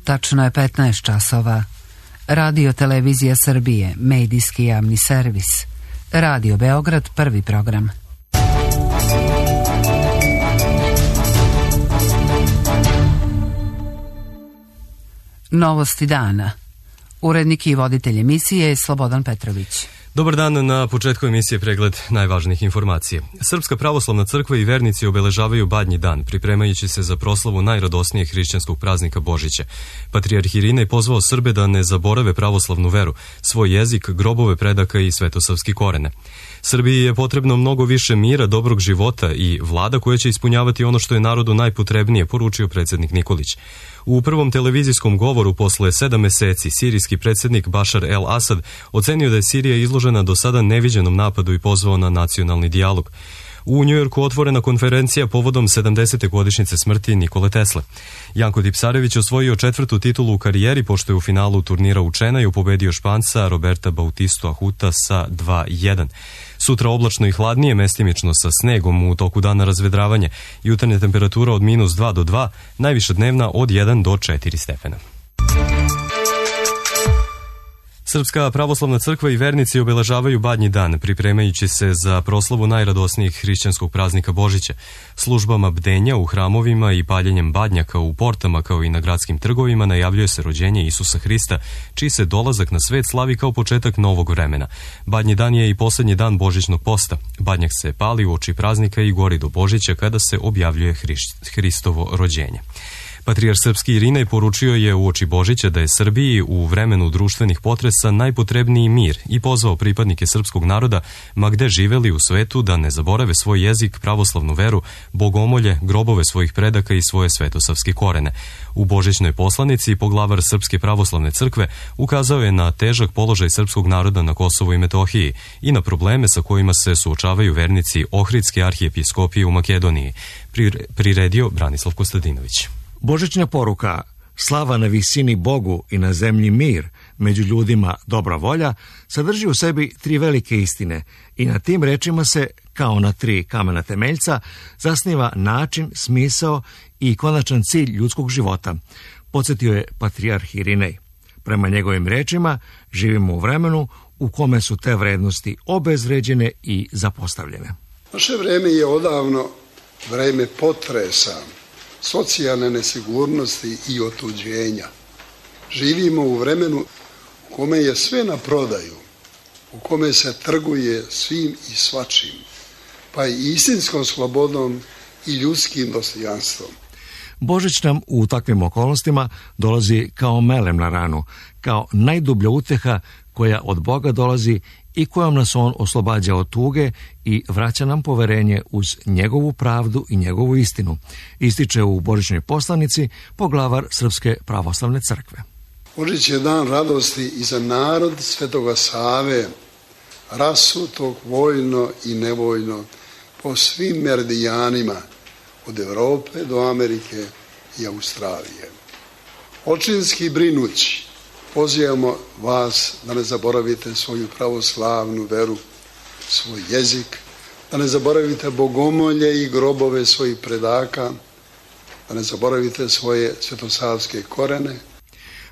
Tačno je 15 časova. Radio Televizija Srbije, medijski javni servis. Radio Beograd, prvi program. Novosti dana. Urednik i voditelj emisije je Slobodan Petrović. Dobar dan, na početku emisije pregled najvažnijih informacija. Srpska pravoslavna crkva i vernici obeležavaju Badnji dan, pripremajući se za proslavu najradosnijeg hrišćanskog praznika Božića. Patrijarh Irinej pozvao Srbe da ne zaborave pravoslavnu veru, svoj jezik, grobove predaka i svetosavski korene. Srbiji je potrebno mnogo više mira, dobrog života i vlada koja će ispunjavati ono što je narodu najpotrebnije, poručio predsjednik Nikolić. U prvom televizijskom govoru posle 7 meseci sirijski predsjednik Bašar el-Asad ocenio da je Sirija izložena do sada neviđenom napadu i pozvao na nacionalni dijalog. U Njujorku otvorena konferencija povodom 70. godišnjice smrti Nikole Tesle. Janko Tipsarević osvojio 4. titulu u karijeri pošto je u finalu turnira u Čenaju pobedio Španca Roberta Bautistu Ahuta sa 2-1. Sutra oblačno i hladnije, mestimično sa snegom, u toku dana razvedravanje, jutarnja temperatura od -2 do 2, najviša dnevna od 1 do 4 stepena. Srpska pravoslavna crkva i vernici obeležavaju Badnji dan, pripremajući se za proslavu najradosnijeg hrišćanskog praznika Božića, službama bdenja u hramovima i paljenjem badnjaka u portama kao i na gradskim trgovima najavljuje se rođenje Isusa Hrista, čiji se dolazak na svet slavi kao početak novog vremena. Badnji dan je i posljednji dan božićnog posta. Badnjak se pali uoči praznika i gori do Božića kada se objavljuje Hristovo rođenje. Patrijarh srpski Irinej poručio je uoči Božića da je Srbiji u vremenu društvenih potresa najpotrebniji mir i pozvao pripadnike srpskog naroda, ma gde živeli u svetu, da ne zaborave svoj jezik, pravoslavnu veru, bogomolje, grobove svojih predaka i svoje svetosavske korene. U božićnoj poslanici poglavar Srpske pravoslavne crkve ukazao je na težak položaj srpskog naroda na Kosovu i Metohiji i na probleme sa kojima se suočavaju vernici Ohridske arhijepiskopije u Makedoniji, priredio Branislav Kostadinović. Božićna poruka, slava na visini Bogu i na zemlji mir, među ljudima dobra volja, sadrži u sebi 3 velike istine i na tim rečima se, kao na 3 kamena temeljca, zasniva način, smisao i konačan cilj ljudskog života, podsjetio je patrijarh Irinej. Prema njegovim rečima, živimo u vremenu u kome su te vrednosti obezvređene i zapostavljene. Naše vreme je odavno vreme potresa, socijalne nesigurnosti i otuđenja. Živimo u vremenu u kome je sve na prodaju, u kome se trguje svim i svačim, pa i istinskom slobodom i ljudskim dostojanstvom. Božić nam u takvim okolnostima dolazi kao melem na ranu, kao najdublja uteha koja od Boga dolazi i kojom nas on oslobađa od tuge i vraća nam poverenje uz njegovu pravdu i njegovu istinu, ističe u božićnoj poslanici poglavar Srpske pravoslavne crkve. Božić je dan radosti i za narod Svetoga Save, rasutog vojno i nevojno po svim meridijanima, od Europe do Amerike i Australije. Očinski brinući, pozivamo vas da ne zaboravite svoju pravoslavnu veru, svoj jezik, da ne zaboravite bogomolje i grobove svojih predaka, da ne zaboravite svoje svetosavske korene.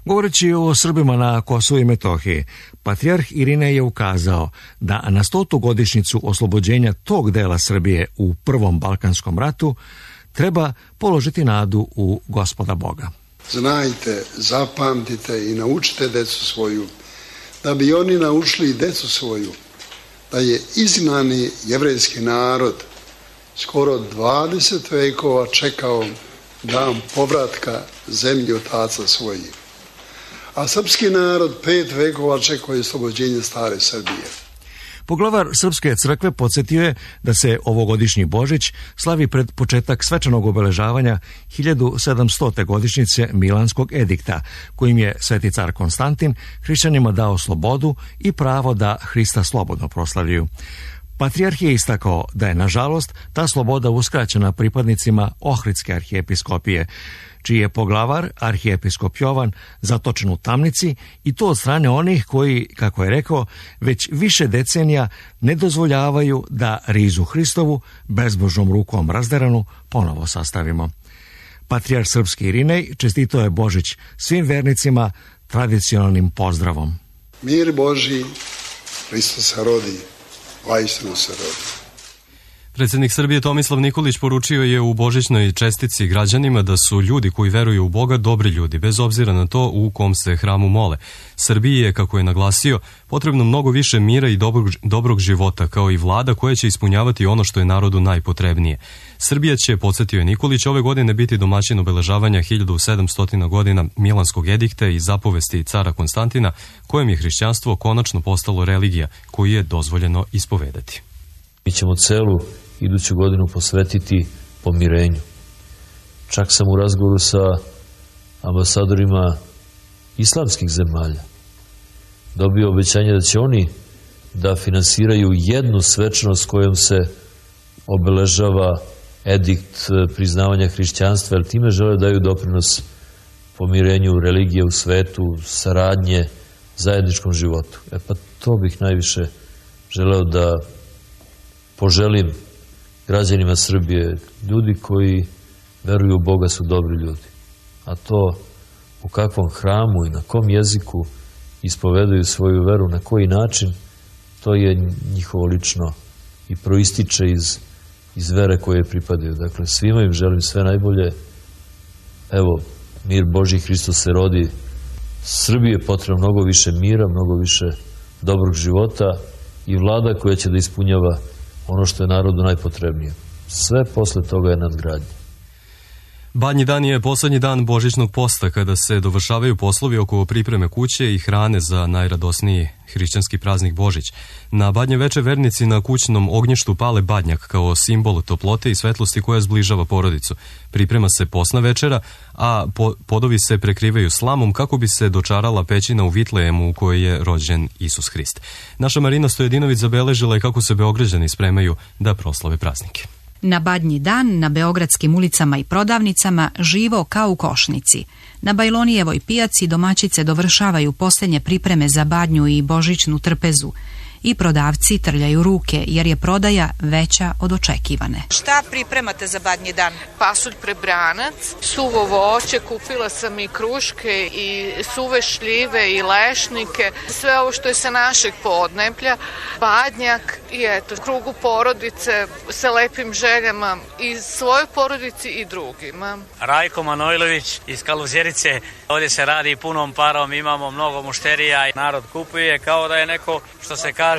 Govoreći o Srbima na Kosovu i Metohiji, patrijarh Irinej je ukazao da na 100. godišnjicu oslobođenja tog dela Srbije u Prvom Balkanskom ratu treba položiti nadu u Gospoda Boga. Znajte, zapamtite i naučite decu svoju, da bi oni naučili decu svoju, da je izgnani jevrejski narod skoro 20 vekova čekao dan povratka zemlji otaca svojih, a srpski narod 5 vekova čekao je oslobođenje stare Srbije. Poglavar Srpske crkve podsjetio je da se ovogodišnji Božić slavi pred početak svečanog obeležavanja 1700. godišnjice Milanskog edikta, kojim je sveti car Konstantin hrišćanima dao slobodu i pravo da Hrista slobodno proslavljaju. Patrijarh je istakao da je, nažalost, ta sloboda uskraćena pripadnicima Ohridske arhijepiskopije, čiji je poglavar, arhijepiskop Jovan, zatočen u tamnici i to od strane onih koji, kako je rekao, već više decenija ne dozvoljavaju da rizu Hristovu bezbožnom rukom razderanu ponovo sastavimo. Patrijarh srpski Irinej čestitao je Božić svim vernicima tradicionalnim pozdravom. Mir Božji, Hristos se rodi, vaistinu se rodi. Predsjednik Srbije Tomislav Nikolić poručio je u božićnoj čestici građanima da su ljudi koji veruju u Boga dobri ljudi, bez obzira na to u kom se hramu mole. Srbiji je, kako je naglasio, potrebno mnogo više mira i dobrog života, kao i vlada koja će ispunjavati ono što je narodu najpotrebnije. Srbija će, podsjetio je Nikolić, ove godine biti domaćin obeležavanja 1700 godina Milanskog edikta i zapovesti cara Konstantina, kojem je hrišćanstvo konačno postalo religija koju je dozvoljeno ispovedati. Mi ćemo celu iduću godinu posvetiti pomirenju. Čak sam u razgovoru sa ambasadorima islamskih zemalja dobio obećanje da će oni da finansiraju jednu svečanost kojom se obeležava edikt priznavanja hrišćanstva, jer time žele daju doprinos pomirenju religije u svetu, saradnje, zajedničkom životu. Pa to bih najviše želeo da poželim građanima Srbije. Ljudi koji veruju u Boga su dobri ljudi. A to u kakvom hramu i na kom jeziku ispovedaju svoju veru, na koji način, to je njihovo lično i proističe iz vere koje pripadaju. Dakle, svima im želim sve najbolje. Evo, mir Božji, Hristos se rodi. Srbiji je potrebno mnogo više mira, mnogo više dobrog života i vlada koja će da ispunjava ono što je narodu najpotrebnije. Sve posle toga je nadgradnje. Badnji dan je poslednji dan božićnog posta, kada se dovršavaju poslovi oko pripreme kuće i hrane za najradosniji hrišćanski praznik Božić. Na Badnje veče vernici na kućnom ognjištu pale badnjak kao simbol toplote i svetlosti koja zbližava porodicu. Priprema se posna večera, a podovi se prekrivaju slamom kako bi se dočarala pećina u Vitlejemu u kojoj je rođen Isus Hrist. Naša Marina Stojadinović zabeležila je kako se Beograđani spremaju da proslave praznike. Na Badnji dan na beogradskim ulicama i prodavnicama živo kao u košnici. Na Bajlonijevoj pijaci domaćice dovršavaju posljednje pripreme za badnju i božićnu trpezu. I prodavci trljaju ruke jer je prodaja veća od očekivane. Šta pripremate za Badnji dan? Pasulj prebranac, suvo voće, kupila sam i kruške i suve šljive i lešnike, sve ovo što je sa našeg podneblja, badnjak i eto, krugu porodice sa lepim željama i svojoj porodici i drugima. Rajko Manojlović iz Kaluzjerice, ovdje se radi punom parom, imamo mnogo mušterija i narod kupuje kao da je neko, što se kaže,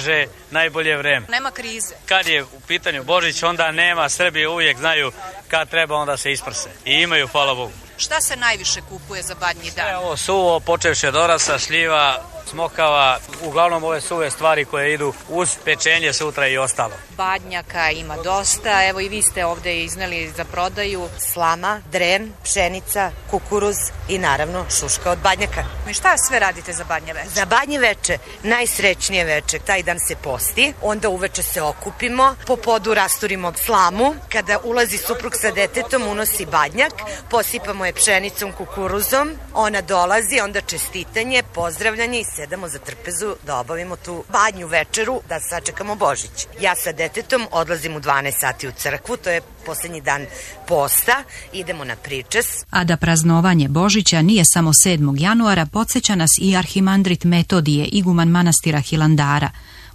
najbolje vreme. Nema krize. Kad je u pitanju Božić, onda nema, Srbi uvijek znaju kad treba, onda se isprse. I imaju, hvala Bogu. Šta se najviše kupuje za Badnji dan? Ovo suvo, počevši od orasa, šljiva, smokava, uglavnom ove suve stvari koje idu uz pečenje sutra i ostalo. Badnjaka ima dosta, evo i vi ste ovde izneli za prodaju. Slama, dren, pšenica, kukuruz i naravno šuška od badnjaka. I šta sve radite za Badnje veče? Za Badnje veče, najsrećnije veče, taj dan se posti, onda uveče se okupimo, po podu rasturimo slamu, kada ulazi suprug sa detetom unosi badnjak, posipamo je pšenicom, kukuruzom, ona dolazi, onda čestitanje, pozdravljanje i sedamo za trpezu da obavimo tu badnju večeru, da sačekamo Božić. Ja sa detetom odlazim u 12 sati u crkvu, to je posljednji dan posta, idemo na pričes. A da praznovanje Božića nije samo 7. januara, podsjeća nas i arhimandrit Metodije, iguman manastira Hilandara.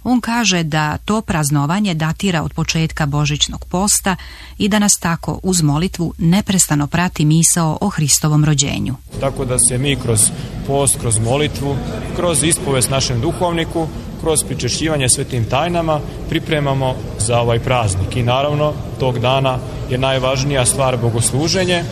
On kaže da to praznovanje datira od početka božićnog posta i da nas tako uz molitvu neprestano prati misao o Hristovom rođenju. Tako da se mi kroz post, kroz molitvu, kroz ispovest našem duhovniku, kroz pričešćivanje svetim tajnama pripremamo za ovaj praznik. I naravno, tog dana je najvažnija stvar bogosluženje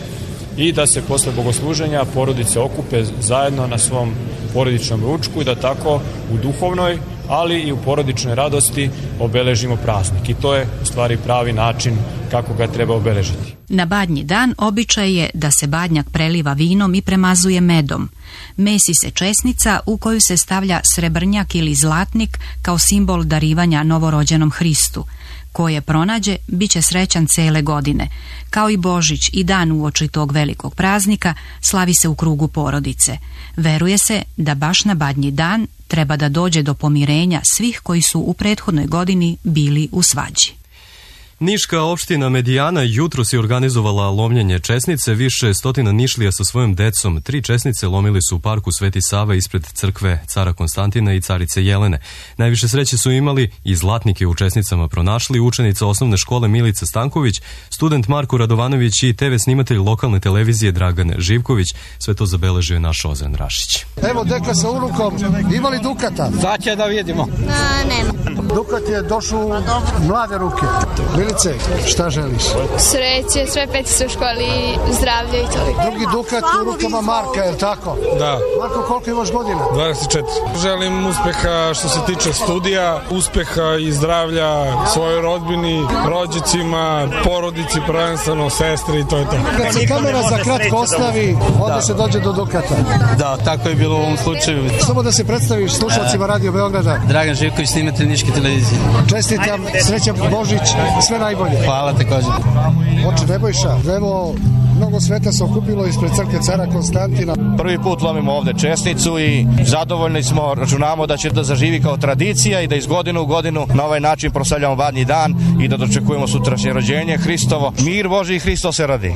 i da se posle bogosluženja porodice okupe zajedno na svom porodičnom ručku i da tako u duhovnoj, ali i u porodičnoj radosti obeležimo praznik. I to je u stvari pravi način kako ga treba obeležiti. Na Badnji dan običaj je da se badnjak preliva vinom i premazuje medom. Mesi se česnica u koju se stavlja srebrnjak ili zlatnik kao simbol darivanja novorođenom Hristu. Ko je pronađe, bit će srećan cele godine. Kao i Božić i dan uoči tog velikog praznika slavi se u krugu porodice. Veruje se da baš na Badnji dan treba da dođe do pomirenja svih koji su u prethodnoj godini bili u svađi. Niška opština Medijana jutros je organizovala lomljenje česnice. Više stotina Nišlija sa svojom decom. 3 česnice lomili su u parku Sveti Sava ispred crkve cara Konstantina i carice Jelene. Najviše sreće su imali i zlatnike u česnicama pronašli učenica osnovne škole Milica Stanković, student Marko Radovanović i TV snimatelj lokalne televizije Dragan Živković. Sve to zabeležio je naš Ozren Rašić. Evo deka sa unukom, imali dukata? Sad će da vidimo. Nema. Dukat je došao u mlade ruke. Milice, šta želiš? Sreće, sve petice u školi, zdravlje i to. Drugi dukat u rukama Marka, je li tako? Da. Marko, koliko imaš godina? 24. Želim uspeha što se tiče studija, uspeha i zdravlja svojoj rodbini, rođicima, porodici, prvenstveno, sestri i to je to. Kad se kamera za kratko ostavi, onda se dođe do dukata. Da, tako je bilo u ovom slučaju. Samo da se predstaviš slušalcima Radio Beograda. Dragan Živković, snimatelj Niške televizije. Čestitam, srećan Božić, sve najbolje. Hvala također. Oče Nebojša, evo, mnogo sveta se okupilo ispred crkve cara Konstantina. Prvi put lomimo ovde česnicu i zadovoljni smo, računamo da će da zaživi kao tradicija i da iz godine u godinu na ovaj način proslavljamo Badnji dan i da dočekujemo sutrašnje rođenje Hristovo. Mir Boži i Hristo se radi.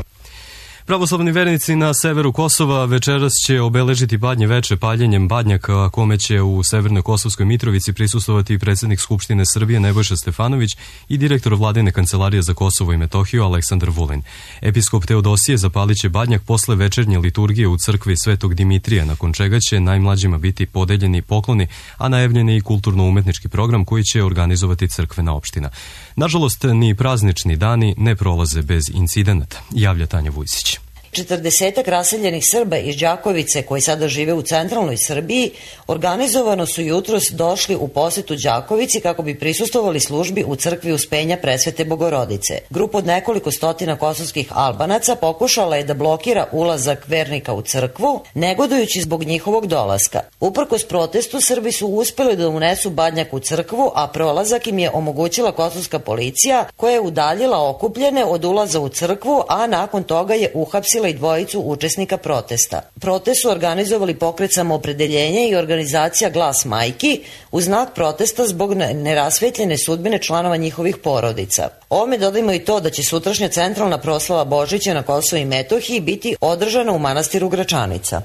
Pravoslavni vernici na severu Kosova večeras će obeležiti Badnje veče paljenjem badnjaka, kome će u Severnoj Kosovskoj Mitrovici prisustvovati i predsjednik Skupštine Srbije Nebojša Stefanović i direktor Vladine kancelarije za Kosovo i Metohiju Aleksandar Vulin. Episkop Teodosije zapalit će badnjak posle večernje liturgije u crkvi Svetog Dimitrija, nakon čega će najmlađima biti podeljeni pokloni, a najavljen je i kulturno-umetnički program koji će organizovati crkvena opština. Nažalost, ni praznični dani ne prolaze bez incidenata, javlja Tanja Vujsić. 40 raseljenih Srba iz Đakovice koji sada žive u centralnoj Srbiji organizovano su jutros došli u posetu Đakovici kako bi prisustvovali službi u crkvi Uspenja Presvete Bogorodice. Grupa od nekoliko stotina kosovskih Albanaca pokušala je da blokira ulazak vernika u crkvu, negodujući zbog njihovog dolaska. Uprkos protestu, Srbi su uspeli da unesu badnjak u crkvu, a prolazak im je omogućila kosovska policija koja je udaljila okupljene od ulaza u crkvu, a nakon toga je uhapsila i dvojicu učesnika protesta. Protest su organizovali Pokret Samoopredeljenja i organizacija Glas majki u znak protesta zbog nerasvetljene sudbine članova njihovih porodica. Ovome dodajmo i to da će sutrašnja centralna proslava Božića na Kosovu i Metohiji biti održana u manastiru Gračanica.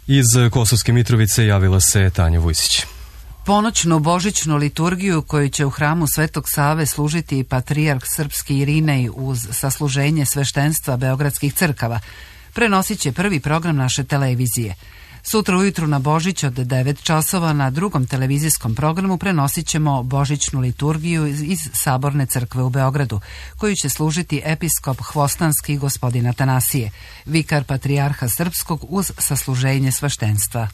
Iz Kosovske Mitrovice javila se Tanja Vujsić. Ponoćnu božićnu liturgiju koju će u hramu Svetog Save služiti patrijarh srpski Irinej uz sasluženje sveštenstva beogradskih crkava prenosit će prvi program naše televizije. Sutra ujutru na Božić od 9 časova na drugom televizijskom programu prenosit ćemo božićnu liturgiju iz Saborne crkve u Beogradu, koju će služiti episkop Hvostanski gospodin Atanasije, vikar patrijarha srpskog uz sasluženje sveštenstva.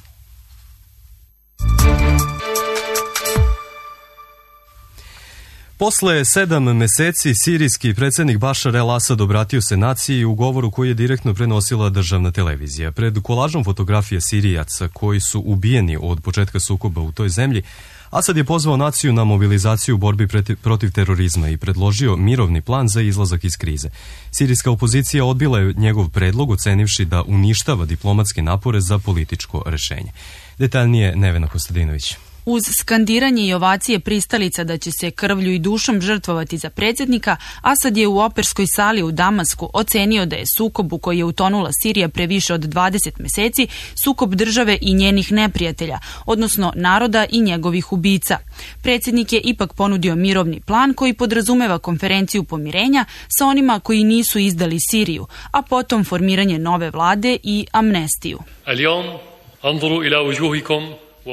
Posle 7 meseci sirijski predsjednik Bašar el-Asad obratio se naciji u govoru koji je direktno prenosila državna televizija. Pred kolažom fotografija Sirijaca koji su ubijeni od početka sukoba u toj zemlji, Asad je pozvao naciju na mobilizaciju u borbi protiv terorizma i predložio mirovni plan za izlazak iz krize. Sirijska opozicija odbila je njegov predlog, ocenivši da uništava diplomatske napore za političko rešenje. Detaljnije Nevena Kostadinović. Uz skandiranje i ovacije pristalica da će se krvlju i dušom žrtvovati za predsjednika, Asad je u operskoj sali u Damasku ocenio da je sukob u koji je utonula Sirija pre više od 20 meseci sukob države i njenih neprijatelja, odnosno naroda i njegovih ubica. Predsjednik je ipak ponudio mirovni plan koji podrazumeva konferenciju pomirenja sa onima koji nisu izdali Siriju, a potom formiranje nove vlade i amnestiju.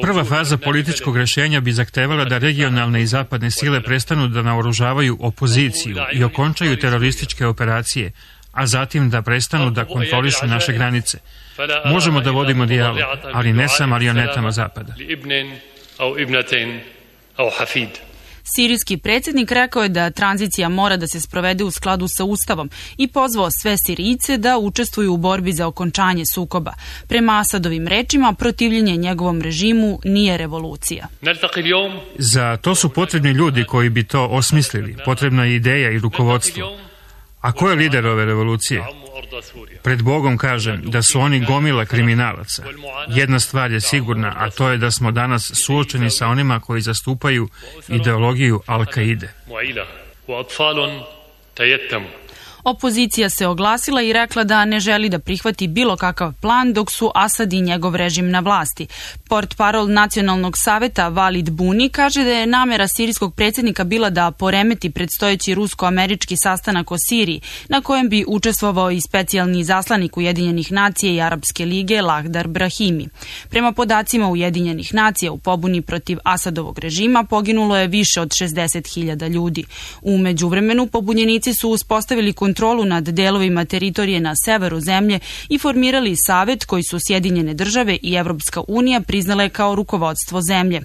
Prva faza političkog rešenja bi zahtevala da regionalne i zapadne sile prestanu da naoružavaju opoziciju i okončaju terorističke operacije, a zatim da prestanu da kontrolišu naše granice. Možemo da vodimo dijalog, ali ne sa marionetama Zapada. Sirijski predsjednik rekao je da tranzicija mora da se sprovede u skladu sa Ustavom i pozvao sve Sirijce da učestvuju u borbi za okončanje sukoba. Prema Asadovim rečima, protivljenje njegovom režimu nije revolucija. Za to su potrebni ljudi koji bi to osmislili. Potrebna je ideja i rukovodstvo. A ko je lider ove revolucije? Pred Bogom kažem da su oni gomila kriminalaca. Jedna stvar je sigurna, a to je da smo danas suočeni sa onima koji zastupaju ideologiju Al-Kaide. وأطفال تيتموا. Opozicija se oglasila i rekla da ne želi da prihvati bilo kakav plan dok su Asad i njegov režim na vlasti. Portparol Nacionalnog saveta Valid Buni kaže da je namera sirijskog predsjednika bila da poremeti predstojeći rusko-američki sastanak o Siriji, na kojem bi učestvovao i specijalni izaslanik Ujedinjenih nacija i Arapske lige Lahdar Brahimi. Prema podacima Ujedinjenih nacija, u pobuni protiv Asadovog režima poginulo je više od 60.000 ljudi. U međuvremenu pobunjenici su uspostavili kontrolu nad delovima teritorije na severu zemlje i formirali savet koji su Sjedinjene države i Evropska unija priznale kao rukovodstvo zemlje.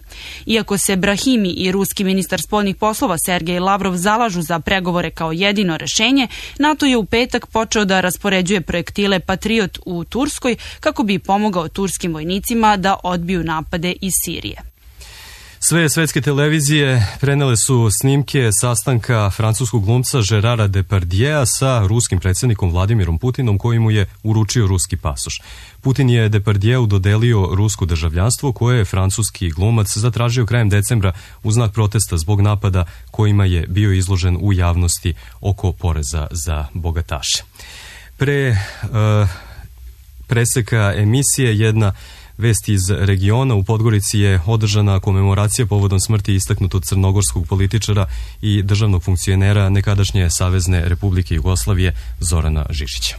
Iako se Brahimi i ruski ministar spoljnih poslova Sergej Lavrov zalažu za pregovore kao jedino rešenje, NATO je u petak počeo da raspoređuje projektile Patriot u Turskoj kako bi pomogao turskim vojnicima da odbiju napade iz Sirije. Sve svetske televizije prenele su snimke sastanka francuskog glumca Gerara Depardieu'a sa ruskim predsjednikom Vladimirom Putinom koji mu je uručio ruski pasoš. Putin je Depardieu dodelio rusko državljanstvo koje je francuski glumac zatražio krajem decembra u znak protesta zbog napada kojima je bio izložen u javnosti oko poreza za bogataše. Pre preseka emisije jedna vest iz regiona. U Podgorici je održana komemoracija povodom smrti istaknutog crnogorskog političara i državnog funkcionera nekadašnje Savezne Republike Jugoslavije Zorana Žižića.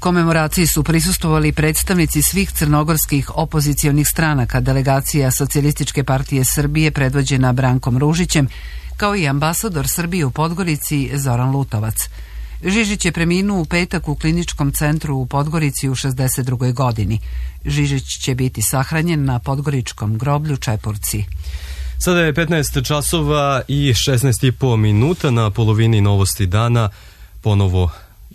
Komemoraciji su prisustvovali predstavnici svih crnogorskih opozicionih stranaka, delegacija Socijalističke partije Srbije predvođena Brankom Ružićem, kao i ambasador Srbije u Podgorici Zoran Lutovac. Žižić je preminuo u petak u kliničkom centru u Podgorici u 62. godini. Žižić će biti sahranjen na podgoričkom groblju Čepurci. Sada je 15 časova i 16,5 minuta, na polovini novosti dana ponovo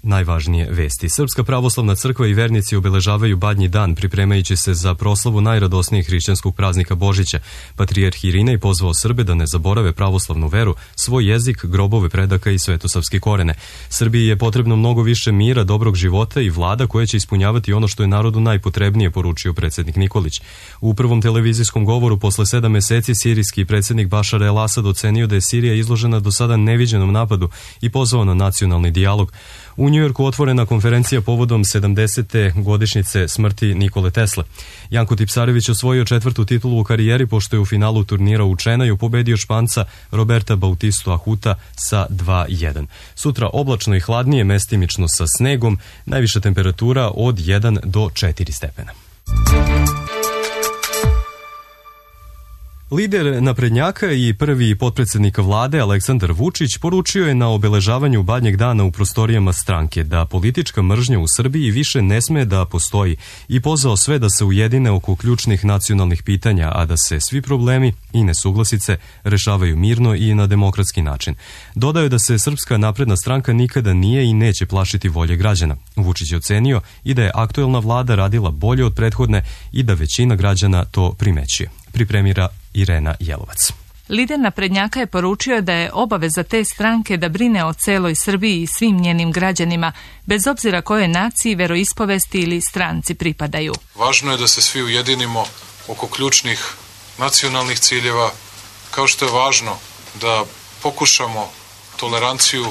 najvažnije vesti. Srpska pravoslavna crkva i vernici obeležavaju Badnji dan pripremajući se za proslavu najradosnijeg hrišćanskog praznika Božića. Patrijarh Irinej pozvao Srbe da ne zaborave pravoslavnu veru, svoj jezik, grobove predaka i svetosavske korene. Srbiji je potrebno mnogo više mira, dobrog života i vlada koja će ispunjavati ono što je narodu najpotrebnije, poručio predsjednik Nikolić. U prvom televizijskom govoru posle 7 meseci sirijski predsjednik Bašar el-Asad ocenio da je Sirija izložena do sada neviđenom napadu i pozvao na nacionalni dijalog. U Njujorku otvorena konferencija povodom 70. godišnjice smrti Nikole Tesle. Janko Tipsarević osvojio 4. titulu u karijeri pošto je u finalu turnira u Čenaju pobedio Španca Roberta Bautistu Ahuta sa 2:1. Sutra oblačno i hladnije, mestimično sa snegom, najviša temperatura od 1 do 4 stepena. Lider naprednjaka i prvi potpredsjednik vlade Aleksandar Vučić poručio je na obeležavanju Badnjeg dana u prostorijama stranke da politička mržnja u Srbiji više ne sme da postoji i pozvao sve da se ujedine oko ključnih nacionalnih pitanja, a da se svi problemi i nesuglasice rešavaju mirno i na demokratski način. Dodao je da se Srpska napredna stranka nikada nije i neće plašiti volje građana. Vučić je ocenio i da je aktuelna vlada radila bolje od prethodne i da većina građana to primećuje. Pripremira Irena Jelovac. Lider naprednjaka je poručio da je obaveza te stranke da brine o celoj Srbiji i svim njenim građanima, bez obzira kojoj naciji, veroispovesti ili stranci pripadaju. Važno je da se svi ujedinimo oko ključnih nacionalnih ciljeva, kao što je važno da pokušamo toleranciju,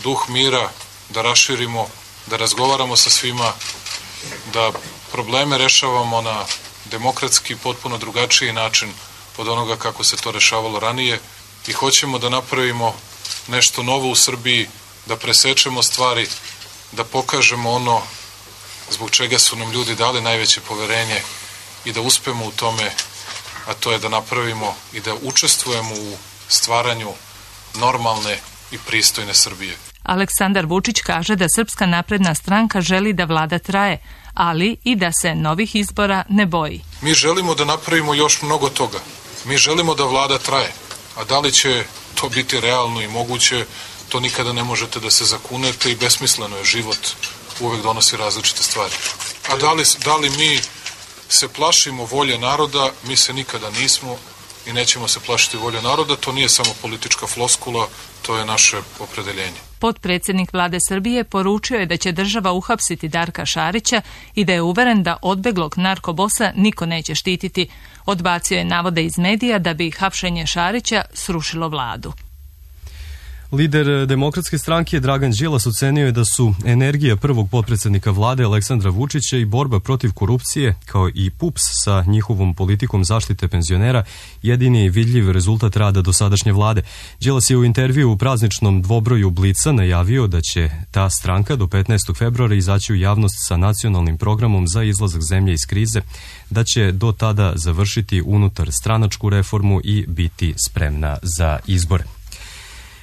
duh mira, da raširimo, da razgovaramo sa svima, da probleme rešavamo na demokratski, potpuno drugačiji način od onoga kako se to rešavalo ranije i hoćemo da napravimo nešto novo u Srbiji, da presečemo stvari, da pokažemo ono zbog čega su nam ljudi dali najveće poverenje i da uspemo u tome, a to je da napravimo i da učestvujemo u stvaranju normalne i pristojne Srbije. Aleksandar Vučić kaže da Srpska napredna stranka želi da vlada traje, ali i da se novih izbora ne boji. Mi želimo da napravimo još mnogo toga. Mi želimo da vlada traje, a da li će to biti realno i moguće, to nikada ne možete da se zakunete i besmisleno je. Život uvek donosi različite stvari. A da li mi se plašimo volje naroda? Mi se nikada nismo i nećemo se plašiti volje naroda. To nije samo politička floskula, to je naše opredeljenje. Potpredsjednik vlade Srbije poručio je da će država uhapsiti Darka Šarića i da je uveren da odbeglog narkobosa niko neće štititi. Odbacio je navode iz medija da bi hapšenje Šarića srušilo vladu. Lider Demokratske stranke Dragan Đilas ocenio je da su energija prvog potpredsjednika vlade Aleksandra Vučića i borba protiv korupcije, kao i PUPS sa njihovom politikom zaštite penzionera, jedini vidljiv rezultat rada dosadašnje vlade. Đilas je u intervju u prazničnom dvobroju Blica najavio da će ta stranka do 15. februara izaći u javnost sa nacionalnim programom za izlazak zemlje iz krize, da će do tada završiti unutar stranačku reformu i biti spremna za izbore.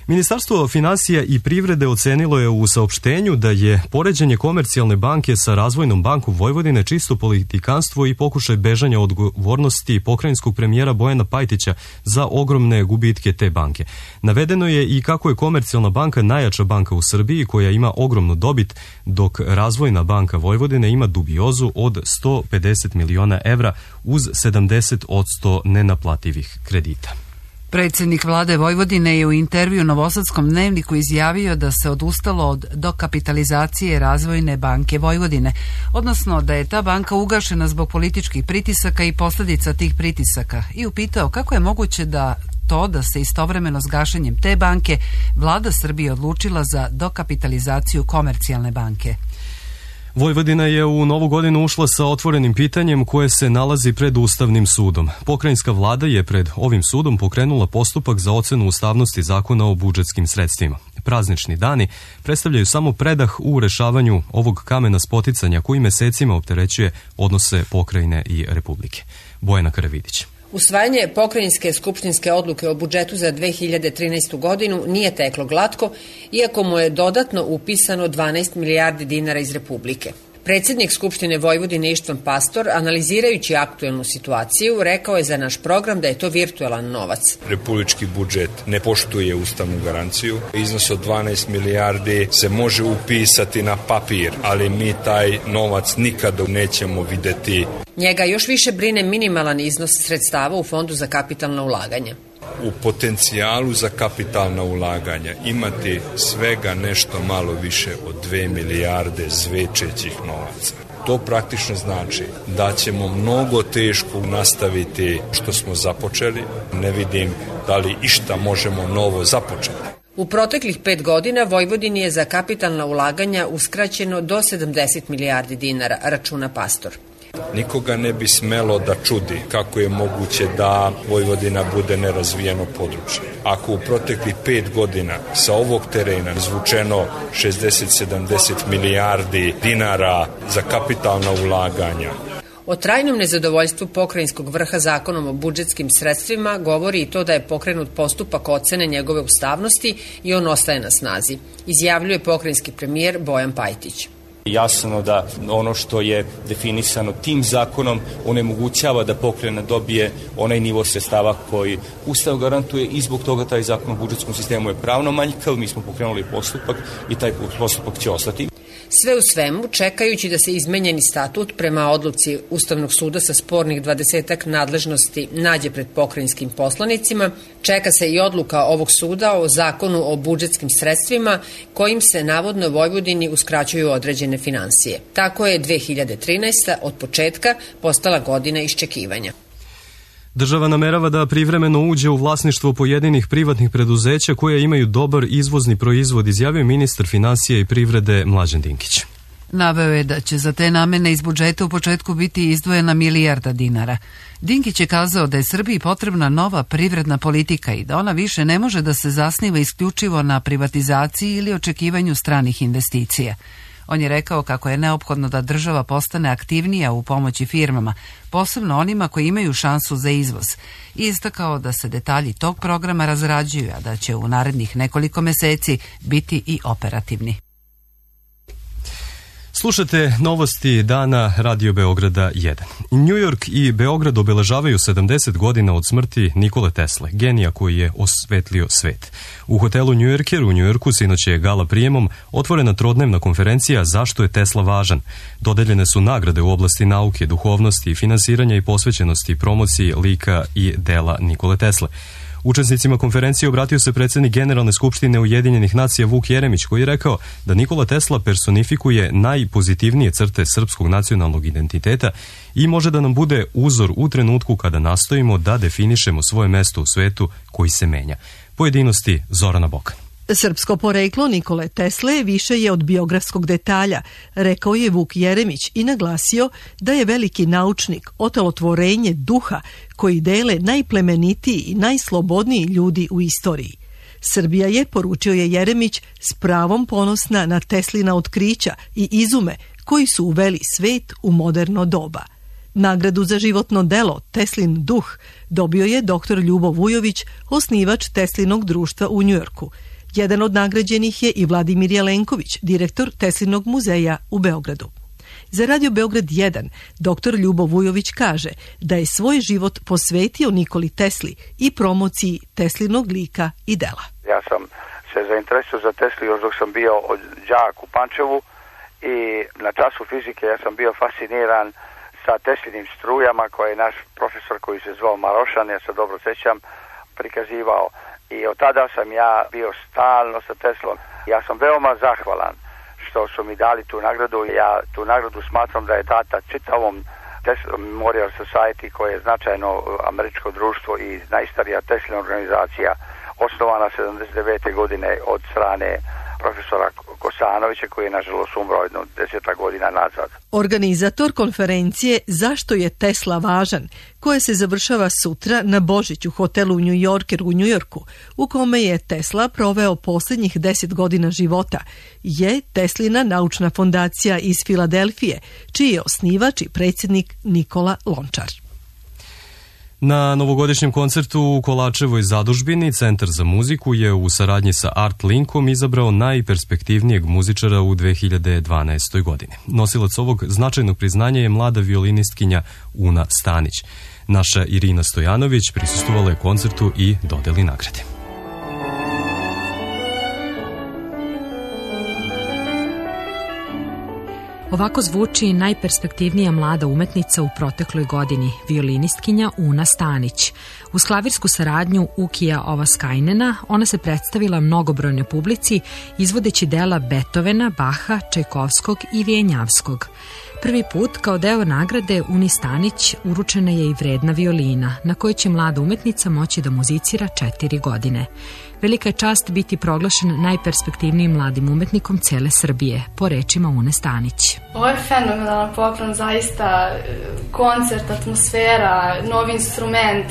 Ministarstvo finansija i privrede ocenilo je u saopštenju da je poređenje Komercijalne banke sa Razvojnom bankom Vojvodine čisto politikanstvo i pokušaj bežanja odgovornosti pokrajinskog premijera Bojana Pajtića za ogromne gubitke te banke. Navedeno je i kako je Komercijalna banka najjača banka u Srbiji koja ima ogromnu dobit, dok Razvojna banka Vojvodine ima dubiozu od 150 miliona evra uz 70% nenaplativih kredita. Predsjednik vlade Vojvodine je u intervju Novosadskom dnevniku izjavio da se odustalo od dokapitalizacije Razvojne banke Vojvodine, odnosno da je ta banka ugašena zbog političkih pritisaka i posljedica tih pritisaka, i upitao kako je moguće da se istovremeno s gašenjem te banke vlada Srbije odlučila za dokapitalizaciju Komercijalne banke. Vojvodina je u novu godinu ušla sa otvorenim pitanjem koje se nalazi pred Ustavnim sudom. Pokrajinska vlada je pred ovim sudom pokrenula postupak za ocenu ustavnosti zakona o budžetskim sredstvima. Praznični dani predstavljaju samo predah u rešavanju ovog kamena spoticanja koji mesecima opterećuje odnose pokrajine i Republike. Bojana Karavidić. Usvajanje pokrajinske skupštinske odluke o budžetu za 2013. godinu nije teklo glatko, iako mu je dodatno upisano 12 milijardi dinara iz Republike. Predsjednik Skupštine Vojvodine Ištvan Pastor, analizirajući aktuelnu situaciju, rekao je za naš program da je to virtualan novac. Republički budžet ne poštuje ustavnu garanciju. Iznos od 12 milijardi se može upisati na papir, ali mi taj novac nikada nećemo videti. Njega još više brine minimalan iznos sredstava u Fondu za kapitalna ulaganja. U potencijalu za kapitalna ulaganja imati svega nešto malo više od 2 milijarde zvečećih novaca. To praktično znači da ćemo mnogo teško nastaviti što smo započeli. Ne vidim da li išta možemo novo započeti. U proteklih 5 godina Vojvodini je za kapitalna ulaganja uskraćeno do 70 milijardi dinara, računa Pastor. Nikoga ne bi smelo da čudi kako je moguće da Vojvodina bude nerazvijeno područje. Ako u proteklih 5 godina sa ovog terena izvučeno 60-70 milijardi dinara za kapitalna ulaganja. O trajnom nezadovoljstvu pokrajinskog vrha zakonom o budžetskim sredstvima govori i to da je pokrenut postupak ocene njegove ustavnosti i on ostaje na snazi, izjavljuje pokrajinski premijer Bojan Pajtić. Jasno da ono što je definisano tim zakonom onemogućava da pokrajina dobije onaj nivo sredstava koji Ustav garantuje i zbog toga taj zakon o budžetskom sistemu je pravno manjkav. Mi smo pokrenuli postupak i taj postupak će ostati. Sve u svemu, čekajući da se izmenjeni statut prema odluci Ustavnog suda sa spornih 20-ak nadležnosti nađe pred pokrajinskim poslanicima, čeka se i odluka ovog suda o zakonu o budžetskim sredstvima kojim se navodno Vojvodini uskraćuju određene finansije. Tako je 2013. od početka postala godina iščekivanja. Država namerava da privremeno uđe u vlasništvo pojedinih privatnih preduzeća koje imaju dobar izvozni proizvod, izjavio ministar finansija i privrede Mlađan Dinkić. Naveo je da će za te namene iz budžeta u početku biti izdvojena milijarda dinara. Dinkić je kazao da je Srbiji potrebna nova privredna politika i da ona više ne može da se zasniva isključivo na privatizaciji ili očekivanju stranih investicija. On je rekao kako je neophodno da država postane aktivnija u pomoći firmama, posebno onima koji imaju šansu za izvoz, i istakao da se detalji tog programa razrađuju, a da će u narednih nekoliko meseci biti i operativni. Slušate novosti dana Radio Beograda 1. New York i Beograd obeležavaju 70 godina od smrti Nikole Tesle, genija koji je osvetlio svet. U hotelu New Yorker u New Yorku sinoć je gala prijemom otvorena trodnevna konferencija Zašto je Tesla važan. Dodeljene su nagrade u oblasti nauke, duhovnosti, finansiranja i posvećenosti promociji lika i dela Nikole Tesle. Učesnicima konferencije obratio se predsjednik Generalne skupštine Ujedinjenih nacija Vuk Jeremić, koji je rekao da Nikola Tesla personifikuje najpozitivnije crte srpskog nacionalnog identiteta i može da nam bude uzor u trenutku kada nastojimo da definišemo svoje mesto u svetu koji se menja. Pojedinosti Zorana Bokan. Srpsko poreklo Nikole Tesle više je od biografskog detalja, rekao je Vuk Jeremić i naglasio da je veliki naučnik otelotvorenje duha koji dele najplemenitiji i najslobodniji ljudi u istoriji. Srbija je, poručio je Jeremić, s pravom ponosna na Teslina otkrića i izume koji su uveli svet u moderno doba. Nagradu za životno delo Teslin duh dobio je dr. Ljubo Vujović, osnivač Teslinog društva u Njujorku. Jedan od nagrađenih je i Vladimir Jelenković, direktor Teslinog muzeja u Beogradu. Za Radio Beograd 1 dr. Ljubo Vujović kaže da je svoj život posvetio Nikoli Tesli i promociji Teslinog lika i dela. Ja sam se zainteresovao za Teslu još dok sam bio đak u Pančevu i na času fizike ja sam bio fasciniran sa Teslinim strujama koje je naš profesor koji se zvao Marošan, ja se dobro sjećam, prikazivao. I od tada sam ja bio stalno sa Teslom. Ja sam veoma zahvalan što su mi dali tu nagradu. Ja tu nagradu smatram da je data čitavom Tesla Memorial Society, koje je značajno američko društvo i najstarija Teslina organizacija, osnovana 79. godine od strane profesora Kosanovića, koji je nažalost umro 10 godina nazad. Organizator konferencije Zašto je Tesla važan, koja se završava sutra na Božić u hotelu New Yorker u Njujorku, u kome je Tesla proveo posljednjih 10 godina života, je Teslina naučna fondacija iz Filadelfije, čiji je osnivač i predsjednik Nikola Lončar. Na novogodišnjem koncertu u Kolačevoj zadužbini Centar za muziku je u saradnji sa Art Linkom izabrao najperspektivnijeg muzičara u 2012. godini. Nosilac ovog značajnog priznanja je mlada violinistkinja Una Stanić. Naša Irina Stojanović prisustvovala je koncertu i dodeli nagrade. Ovako zvuči najperspektivnija mlada umetnica u protekloj godini, violinistkinja Una Stanić. Uz klavirsku saradnju Ukija Ovaskajnena ona se predstavila mnogobrojnoj publici izvodeći dela Beethovena, Baha, Čajkovskog i Vijenjavskog. Prvi put kao deo nagrade Uni Stanić uručena je i vredna violina, na kojoj će mlada umetnica moći da muzicira 4 godine. Velika je čast biti proglašen najperspektivnijim mladim umetnikom cele Srbije, po rečima Une Stanić. Ovo je fenomenalan program, zaista koncert, atmosfera, novi instrument,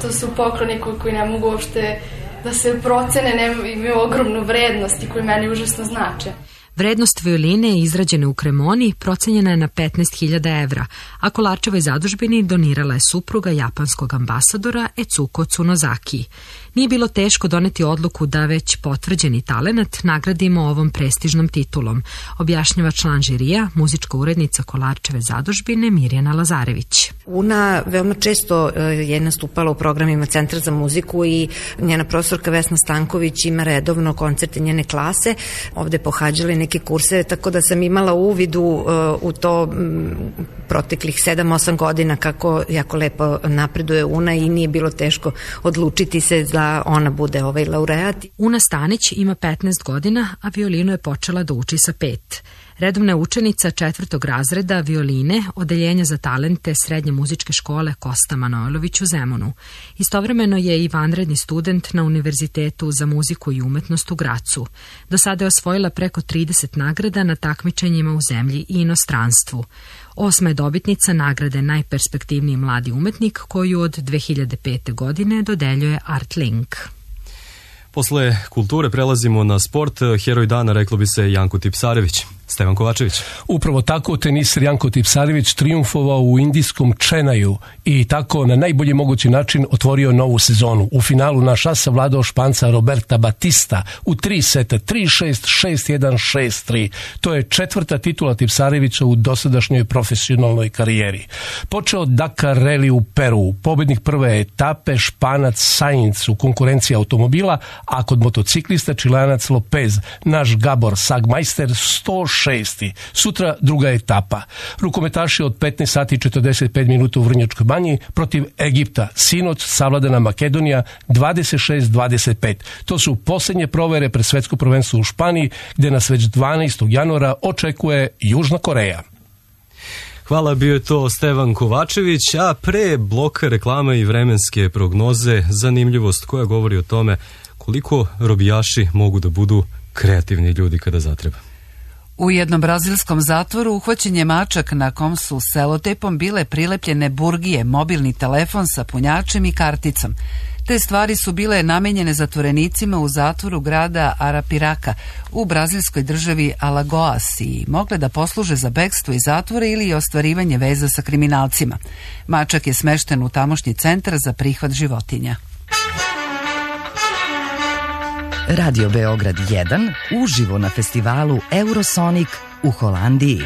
to su pokloni koji ne mogu uopšte da se procene, imaju ogromnu vrednost i koji meni užasno znače. Vrednost violine izrađene u Kremoni procenjena je na 15.000 evra, a Kolarčevoj zadužbini donirala je supruga japanskog ambasadora Etsuko Tsunozaki. Nije bilo teško doneti odluku da već potvrđeni talenat nagradimo ovom prestižnom titulom, objašnjava član žirija, muzička urednica Kolarčeve zadužbine Mirjana Lazarević. Una veoma često je nastupala u programima Centra za muziku i njena profesorka Vesna Stanković ima redovno koncerte njene klase, ovde pohađali neke kurseve, tako da sam imala uvidu u to proteklih 7-8 godina kako jako lepo napreduje Una i nije bilo teško odlučiti se da ona bude ovaj laureat. Una Stanić ima 15 godina, a violinu je počela da uči sa 5. Redovna je učenica 4. razreda violine, odeljenja za talente Srednje muzičke škole Kosta Manojlović u Zemunu. Istovremeno je i vanredni student na Univerzitetu za muziku i umetnost u Gracu. Do sada je osvojila preko 30 nagrada na takmičenjima u zemlji i inostranstvu. 8. je dobitnica nagrade najperspektivniji mladi umetnik koju od 2005. godine dodeljuje Art Link. Posle kulture prelazimo na sport. Heroj dana reklo bi se Janko Tipsarević. Stevan Kovačević. Upravo tako teniser Janko Tipsarević triumfovao u indijskom Čenaju i tako na najbolji mogući način otvorio novu sezonu. U finalu na šah savladao Španca Roberta Batista u 3 seta, 3-6, 6-1, 6-3. To je 4. titula Tipsarevića u dosadašnjoj profesionalnoj karijeri. Počeo Dakar Rally u Peru, pobednik prve etape Španac Sainz u konkurenciji automobila, a kod motociklista Čilanac Lopez, naš Gabor Sagmajster 106. Sutra druga etapa. Rukometaši od 15 sati 45 minuta u Vrnjačkoj banji protiv Egipta. Sinoć savladana Makedonija 26-25. To su posljednje provere pred svetsko prvenstvo u Španiji, gde nas već 12. januara očekuje Južna Koreja. Hvala, bio je to Stevan Kovačević, a pre bloka reklama i vremenske prognoze zanimljivost koja govori o tome koliko robijaši mogu da budu kreativni ljudi kada zatreba. U jednom brazilskom zatvoru uhvaćen je mačak na kom su selotejpom bile prilepljene burgije, mobilni telefon sa punjačem i karticom. Te stvari su bile namenjene zatvorenicima u zatvoru grada Arapiraca u brazilskoj državi Alagoas i mogle da posluže za bekstvo iz zatvora ili ostvarivanje veza sa kriminalcima. Mačak je smešten u tamošnji centar za prihvat životinja. Radio Beograd 1 uživo na festivalu Eurosonic u Holandiji.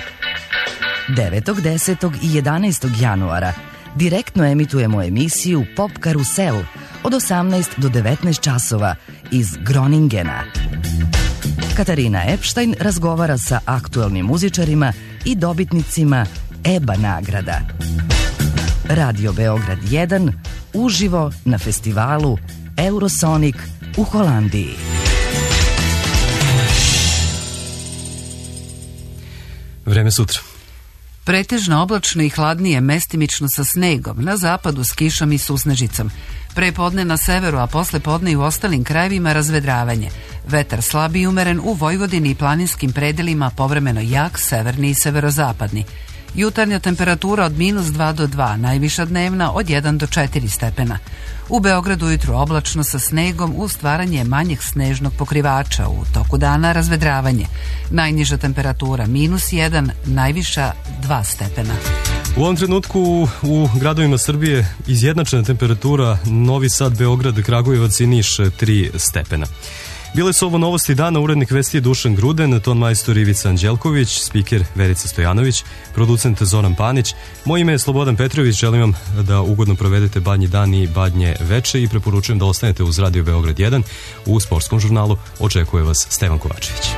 9., 10. i 11. januara direktno emitujemo emisiju Pop Karusel od 18 do 19 časova iz Groningena. Katarina Epstein razgovara sa aktuelnim muzičarima i dobitnicima EBA nagrada. Radio Beograd 1 uživo na festivalu Eurosonic u Holandiji. Vreme sutra. Pretežno oblačno i hladnije, mestimično sa snegom, na zapadu s kišom i susnežicom. Prepodne na severu, a posle podne i u ostalim krajevima razvedravanje. Vetar slab i umeren u Vojvodini i planinskim predelima, povremeno jak, severni i severozapadni. Jutarnja temperatura od -2 do 2, najviša dnevna od 1 do 4 stepena. U Beogradu ujutru oblačno sa snegom uz stvaranje manjeg snežnog pokrivača, u toku dana razvedravanje. Najniža temperatura -1, najviša 2 stepena. U ovom trenutku u gradovima Srbije izjednačena temperatura Novi Sad, Beograd, Kragujevac i Niš 3 stepena. Bile su ovo novosti dana, urednik vesti je Dušan Gruden, ton majstor Ivica Anđelković, spiker Verica Stojanović, producent Zoran Panić. Moje ime je Slobodan Petrović, želim vam da ugodno provedete badnji dan i badnje veče i preporučujem da ostanete uz Radio Beograd 1. U sportskom žurnalu očekuje vas Stevan Kovačević.